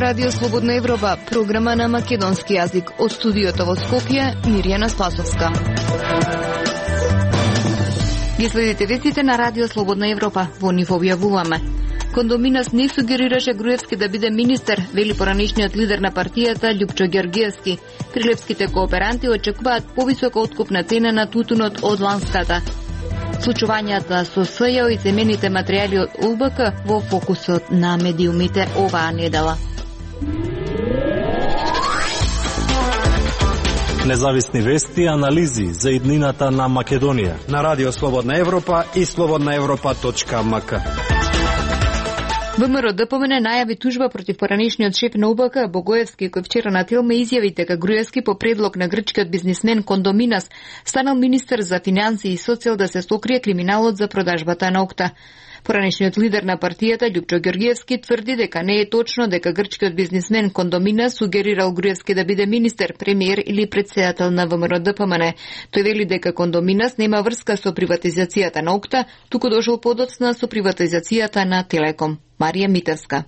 Радио Слободна Европа, програма на македонски јазик. Од студиото во Скопје, Мирјана Спасовска. Ги следите вестите на Радио Слободна Европа. Во нив објавуваме. Кондоминас не сугерираше Груевски да биде министер, вели поранешниот лидер на партијата Љупчо Ѓорѓиевски. Прилепските кооперанти очекуваат повисока откупна цена на тутунот од ланската. Случувањата со СЈО и земените материјали од УБК во фокусот на медиумите оваа недела. Независни вести и анализи за иднината на Македонија на Радио Слободна Европа и slobodnaevropa.mk. ВМРО ДПМН најави тужба против поранешниот шеф на УБК Богоевски, кој вчера на Телма изјави дека Груевски по предлог на грчкиот бизнисмен Кондоминас станал министер за финансии и соцел да се сокрие криминалот за продажбата на ОКТА. Поранешниот лидер на партијата Љупчо Ѓорѓиевски тврди дека не е точно дека грчкиот бизнисмен Кондоминас сугерирал Груевски да биде министер, премиер или претседател на ВМРО ДПМН. Тој вели дека Кондоминас нема врска со приватизацијата на ОКТА, туку дошол подоцна со приватизацијата на Телеком. Марија Митевска.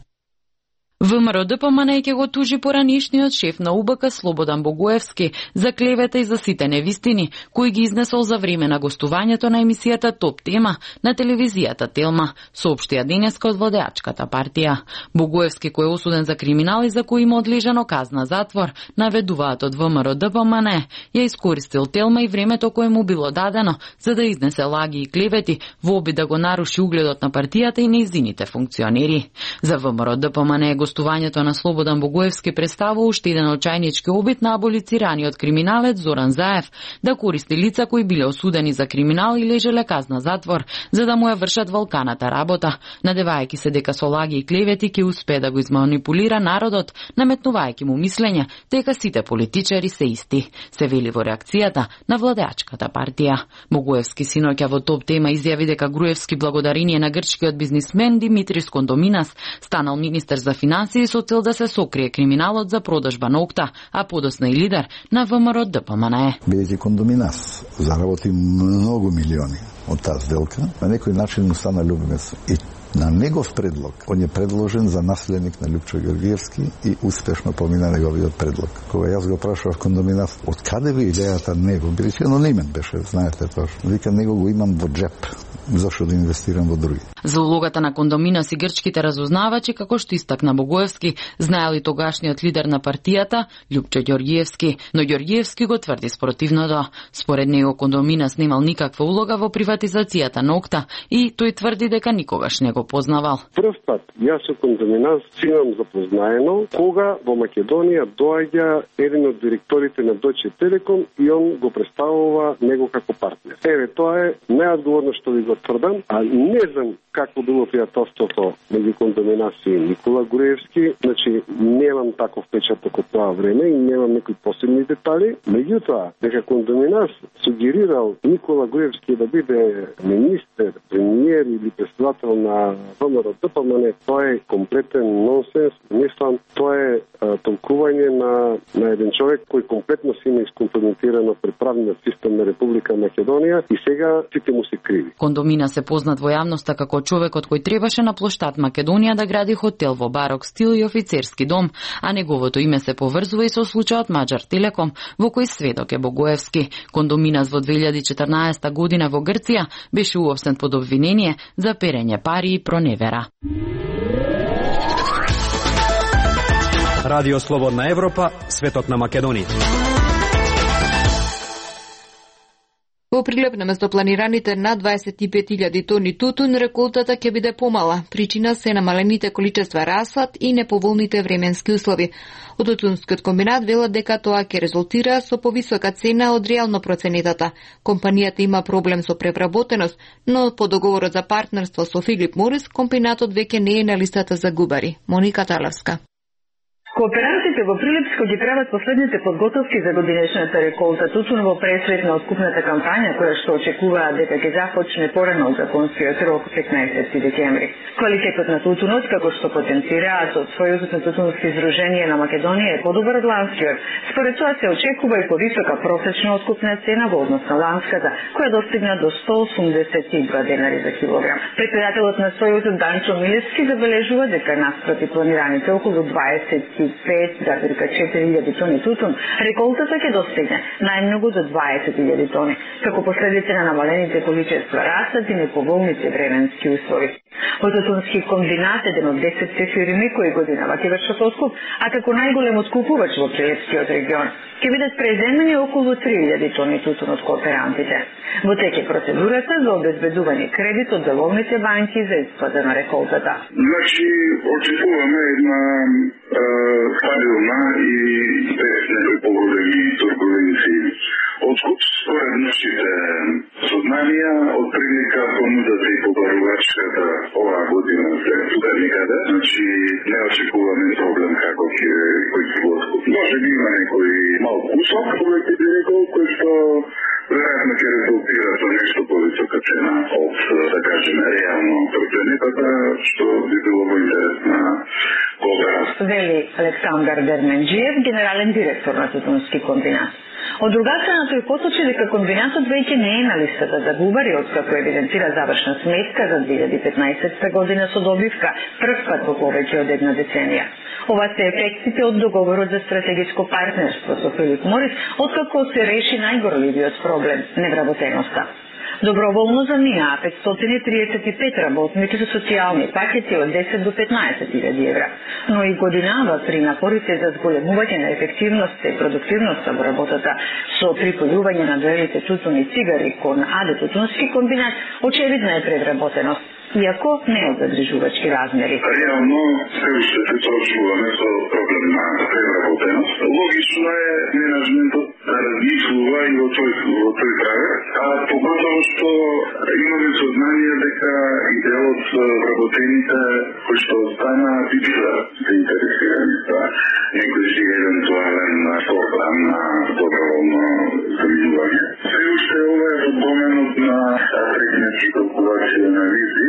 ВМРО ДПМН ќе го тужи поранешниот шеф на УБК Слободан Богоевски за клевета и за сите невистини кои ги изнесол за време на гостувањето на емисијата Топ тема на телевизијата Телма, соопштија денеска од владеачката партија. Богоевски, кој е осуден за криминал и за кој има одлежано казна затвор, наведуваат од ВМРО ДПМН, ја искористил Телма и времето кое му било дадено за да изнесе лаги и клевети во обид да го наруши угледот на партијата и нејзините функционери. За ВМРО ДПМН гостувањето на Слободан Богоевски представува уште еден очајнички обид на аболицираниот криминалец Зоран Заев да користи лица кои биле осудени за криминал и лежеле казна затвор, за да му ја вршат валканата работа, надевајќи се дека со лаги и клевети ќе успее да го изманипулира народот, наметнувајќи му мислење дека сите политичари се исти, се вели во реакцијата на владеачката партија. Богоевски синоќа во Топ тема изјави дека Груевски благодарение на грчкиот бизнисмен Димитрис Кондоминас станал министер за финансии со цел да се сокрие криминалот за продажба на ОКТА, а подосна и лидер на ВМРО ДПМН. Бидејќи Кондоминас заработи многу милиони од таа сделка, на некој начин му стана љубимец. И на негов предлог, он е предложен за наследник на Љупчо Ѓорѓиевски и успешно помина неговиот предлог. Кога јас го прашав Кондоминас, од каде ви идејата него, бидејќи анонимен беше, знаете тоа. Вика, него го имам во джеп. Зошто да инвестирам во други? За улогата на Кондоминас и грчките разузнавачи, како што истакна Богоевски, знаел и тогашниот лидер на партијата, Љупчо Ѓорѓиевски, но Ѓорѓиевски го тврди спротивното. Според него Кондоминас немал никаква улога во приватизацијата на ОКТА и тој тврди дека никогаш не го познавал. Прв пат јас со Кондоминас имам запознаено кога во Македонија доаѓа еден од директорите на Deutsche Telekom и он го представува него како партнер. Еве, тоа е неодговорно што ви го тврдам, а не знам какво било пријателството меѓу Кондоминас и Никола Груевски, значи немам таков печаток од тоа време и немам некои посебни детали. Меѓутоа, дека Кондоминас сугерирал Никола Груевски да биде министер, премиер или председател на ВМРО ДПМН, тоа е комплетен нонсенс. Мислам, тоа е толкување на еден човек кој комплетно си има искомпрометирано при правниот систем на Република Македонија и сега сите му се криви. Кондоминас е познат во јавноста како човекот кој требаше на плоштад Македонија да гради хотел во барок стил и офицерски дом, а неговото име се поврзува и со случајот Маџар Телеком, во кој сведок е Богоевски. Кондоминас во 2014 година во Грција беше уопштен под обвинение за перење пари и проневера. Радио Слободна Европа, светот на Македонија. Во Прилеп наместо планираните над 25.000 тони тутун, реколтата ќе биде помала. Причина се намалените количества расад и неповолните временски услови. Од тутунскиот комбинат велат дека тоа ќе резултира со повисока цена од реално проценетата. Компанијата има проблем со превработеност, но по договорот за партнерство со Филип Морис, комбинатот веќе не е на листата за губари. Моника Талевска. Кооперантите во Прилепско ги прават последните подготовки за годинешната реколта тутун во пресвет на откупната кампања која што очекуваат дека ќе започне порано од законскиот рок 15 декември. Квалитетот на тутунот, како што потенцираат од Сојузот на тутунски издружение на Македонија, е подобар од ланскиот. Според тоа се очекува и повисока просечна откупна цена во однос на ланската, која достигна до 182 денари за килограм. Председателот на Сојузот Данчо Милевски забележува дека наспроти планираните околу 25,4 тони тутун, реколтата ќе достигне најмногу до 20,000 тони, како последица на намалените количества растат и неповолните временски услови. Од тутунски комбинат еден од 10 фирми кои годинава ќе вршат откуп, а како најголем откупувач во Прилепскиот регион, ќе бидат преземени околу 3,000 тони тутун од кооперантите. Во теке процедурата за обезбедување кредит од деловните банки за исплата на реколтата. Значи, очекуваме една стабилна и без непогодени турбуленции откуп според нашите сознанија, од прилика понудата и побарувачката оваа година след тука никаде. Значи, не очекуваме проблем како ќе го откуп. Може би има некој мал кусок, кој ќе би рекол, кој што веројатно ќе резултира со нешто повисока цена од, да кажеме, реално проценетата, што би било во интерес на кооперација. Вели Александар Дерменџиев, генерален директор на тутунски комбинат. Од друга страна, тој поточи дека комбинатот веќе не е на листата за губари, откако евидентира завршна сметка за 2015 година со добивка, прв пат во повеќе од една деценија. Ова се ефектите од договорот за стратегиско партнерство со Филип Морис, откако се реши најгорливиот проблем – невработеноста. Доброволно заминаа 535 работници со социјални пакети од 10 до 15.000 евра, но и годинава при напорите за зголемување на ефективноста и продуктивноста во работата со припојување на дрвените тутун и цигари кон АД тутунски комбинат, очевидна е предработеност, иако не од загрижувачки размери. Реално се уште се соочуваме со проблем на предработеност. Логично е менеджментот да размислува и во тој правец, а поготово што имаме сознание дека и дел од работените кои што остана би била заинтересирани за некој си евентуален програм на доброволно заминување. Се уште ова е во доменот на технички калкулација на визи,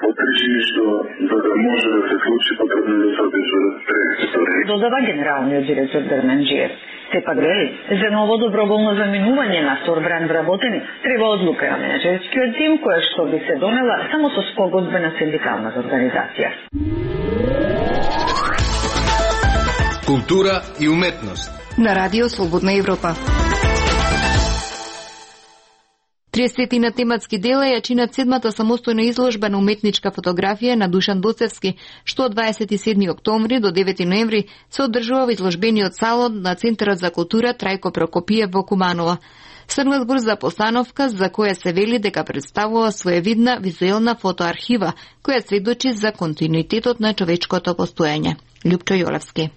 од причини што за да може да се случи потребно да се обезбедат средства. Додава генералниот директор Дерменџиев. Сепак вели, за ново доброволно заминување на Сорбран вработени треба одлука на менеджерскиот тим, која што би се донела само со спогодбена синдикална организација. Култура и уметност. На Радио Слободна Европа. 30 на тематски дела ја чинат 7-та самостојна изложба на уметничка фотографија на Душан Доцевски, што од 27 октомври до 9 ноември се одржува во изложбениот салон на Центарот за култура Трајко Прокопиев во Куманово. Станува збор за постановка за која се вели дека представува своевидна визуелна фотоархива, која сведочи за континуитетот на човечкото постоење. Љупчо Јолевски.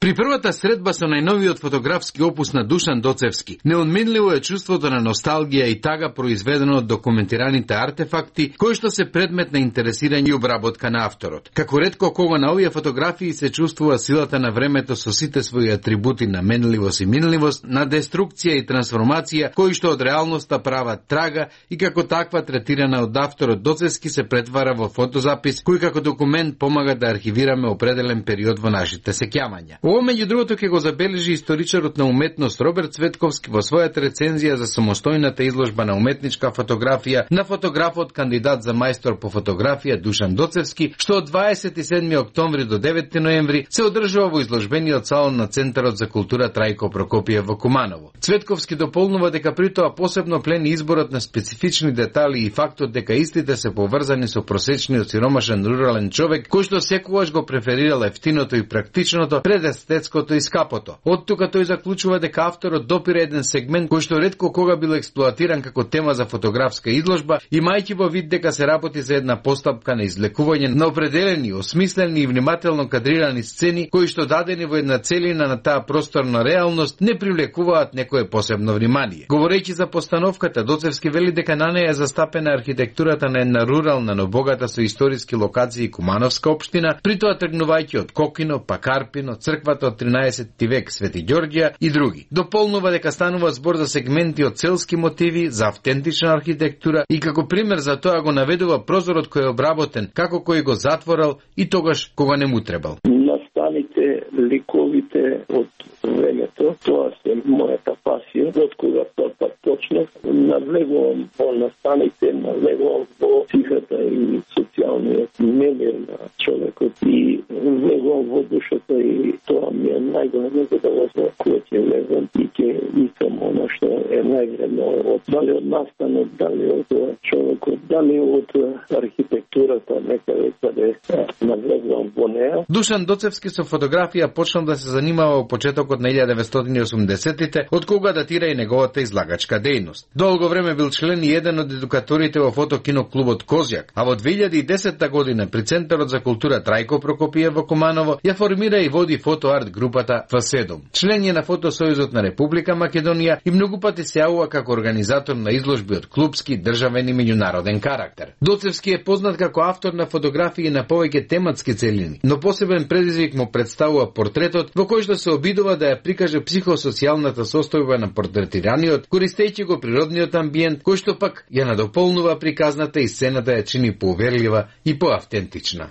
При првата средба со најновиот фотографски опус на Душан Доцевски, неодменливо е чувството на носталгија и тага произведено од документираните артефакти, кои што се предмет на интересирање и обработка на авторот. Како ретко кога на овие фотографии се чувствува силата на времето со сите своји атрибути на менливост и минливост, на деструкција и трансформација, кои што од реалноста прават трага и како таква третирана од авторот Доцевски се претвара во фотозапис, кој како документ помага да архивираме определен период во нашите сеќавања. Ово меѓу другото ќе го забележи историчарот на уметност Роберт Цветковски во својата рецензија за самостојната изложба на уметничка фотографија на фотографот кандидат за мајстор по фотографија Душан Доцевски, што од 27 октомври до 9 ноември се одржува во изложбениот салон на Центарот за култура Трајко Прокопиев во Куманово. Цветковски дополнува дека при тоа посебно плени изборот на специфични детали и фактот дека истите се поврзани со просечниот сиромашен рурален човек кој што секогаш го преферирал ефтиното и практичното пред универзитетското и скапото. Од тука тој заклучува дека авторот допира еден сегмент кој што ретко кога бил експлоатиран како тема за фотографска изложба, имајќи во вид дека се работи за една постапка на излекување на определени, осмислени и внимателно кадрирани сцени кои што дадени во една целина на таа просторна реалност не привлекуваат некое посебно внимание. Говорејќи за постановката, Доцевски вели дека на неја е застапена архитектурата на една рурална, но богата со историски локации Кумановска општина, при тоа тргнувајќи од Кокино, па Карпино, црквата од 13 век Свети Ѓорѓија и други. Дополнува дека станува збор за сегменти од селски мотиви, за автентична архитектура и како пример за тоа го наведува прозорот кој е обработен, како кој го затворал и тогаш кога не му требал. Настаните, ликовите од времето, тоа се мојата пасија, од кога тоа почнав, навлегувам во настаните, навлегувам во психата и социјалниот немир на човекот и влегувам во душата и тоа ми е најголемо задоволство кога ќе влезам и ќе искам оно што е највредно дали од настанот, дали од човекот, дали од архитектурата, некаде каде навлегувам во неа. Душан Доцевски со фотографија почнал да се занимава во почетокот на 1980-тите, од кога датира и неговата излагачка дејност. Долго време бил член и еден од едукаторите во фотокиноклубот Козјак, а во 2010 година при Центарот за култура Трајко Прокопиев во Куманово ја формира и води фотоарт групата Ф7. Член е на Фотосојузот на Република Македонија и многу пати се јавува како организатор на изложби од клупски, државен и меѓународен карактер. Доцевски е познат како автор на фотографии на повеќе тематски целини, но посебен предизвик му представува портретот во кој што се обидува да ја прикаже психосоцијалната состојба на портретираниот, користејќи го природниот амбиент, кој што пак ја надополнува приказната и сцената ја чини поуверлива и поавтентична.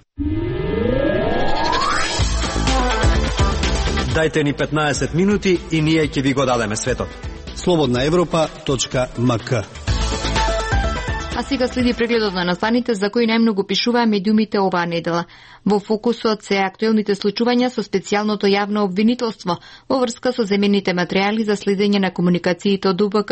Дајте ни 15 минути и ние ќе ви го дадеме светот. Slobodnaevropa.mk. А сега следи прегледот на настаните за кои најмногу пишуваа медиумите оваа недела. Во фокусот се актуелните случувања со специјалното јавно обвинителство во врска со земените материјали за следење на комуникациите од УБК,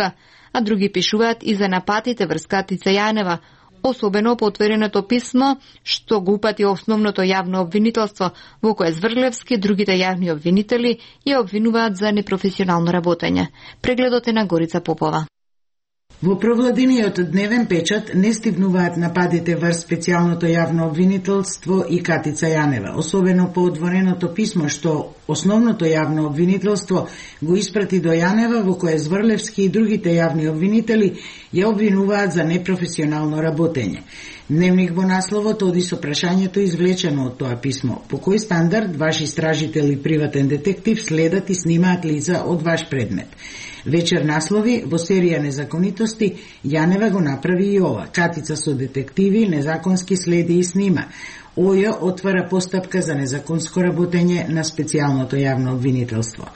а други пишуваат и за нападите врз Катица Јанева, особено по отвореното писмо што го упати основното јавно обвинителство, во кое Зврлевски, другите јавни обвинители ја обвинуваат за непрофесионално работење. Прегледот е на Горица Попова. Во провладениот дневен печат не стигнуваат нападите врз специјалното јавно обвинителство и Катица Јанева, особено по отвореното писмо што основното јавно обвинителство го испрати до Јанева, во кое Зврлевски и другите јавни обвинители ја обвинуваат за непрофесионално работење. Дневник во насловот оди со прашањето извлечено од тоа писмо. По кој стандард ваш истражител и приватен детектив следат и снимаат лица од ваш предмет? Вечер наслови во серија незаконитости Јанева го направи и ова. Катица со детективи незаконски следи и снима. ОЈ отвара постапка за незаконско работење на специјалното јавно обвинителство.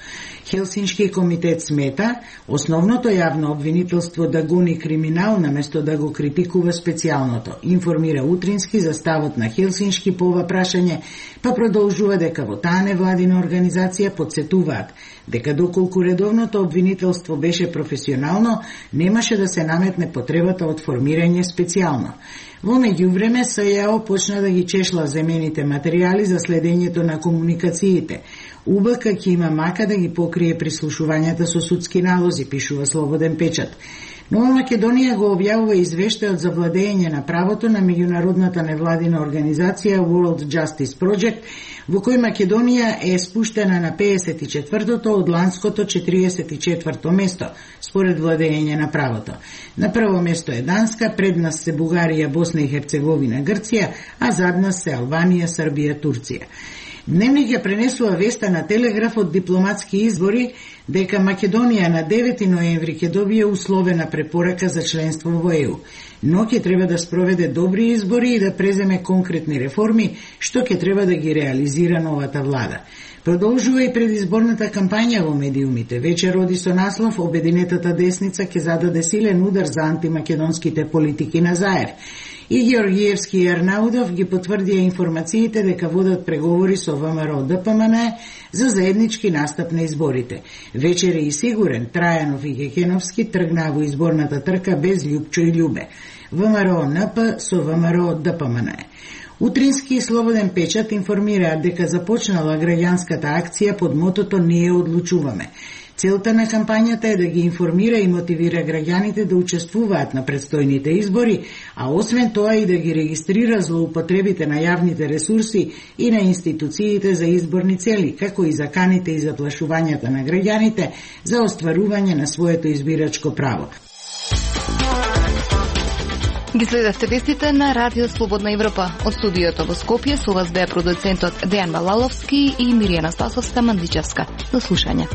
Хелсиншки комитет смета основното јавно обвинителство да гони криминал наместо да го критикува специјалното. Информира утрински за ставот на Хелсиншки по ова прашање, па продолжува дека во таа невладина организација подсетуваат дека доколку редовното обвинителство беше професионално, немаше да се наметне потребата од формирање специјално. Во меѓувреме СЈО почна да ги чешла земените материјали за следењето на комуникациите. УБК ќе има мака да ги покрие прислушувањата со судски налози, пишува Слободен печат. Нова Македонија го објавува извештајот за владење на правото на меѓународната невладина организација World Justice Project, во кој Македонија е спуштена на 54-то од ланското 44-то место, според владење на правото. На прво место е Данска, пред нас се Бугарија, Босна и Херцеговина, Грција, а зад нас се Албанија, Србија, Турција. Дневник ја пренесува веста на Телеграф од дипломатски избори дека Македонија на 9 ноември ќе добие условена препорака за членство во ЕУ, но ќе треба да спроведе добри избори и да преземе конкретни реформи, што ќе треба да ги реализира новата влада. Продолжува и предизборната кампања во медиумите. Вечер оди со наслов Обединетата десница ќе зададе силен удар за антимакедонските политики на Заев. И Георгиевски и Арнаудов ги потврдија информациите дека водат преговори со ВМРО ДПМН за заеднички настап на изборите. Вечер е и сигурен, Трајанов и Кекеновски тргнаа во изборната трка без Љупчо и Љубе. ВМРО НП со ВМРО ДПМН. Утрински и Слободен печат информираат дека започнала граѓанската акција под мотото "Не ја одлучуваме". Целта на кампањата е да ги информира и мотивира граѓаните да учествуваат на предстојните избори, а освен тоа и да ги регистрира злоупотребите на јавните ресурси и на институциите за изборни цели, како и заканите и заплашувањата на граѓаните за остварување на своето избирачко право. Ги следевте вестите на Радио Слободна Европа. Од студиото во Скопје со вас беа продуцентот Дејан Балаловски и Миријана Стасовска Мандичевска. До слушање.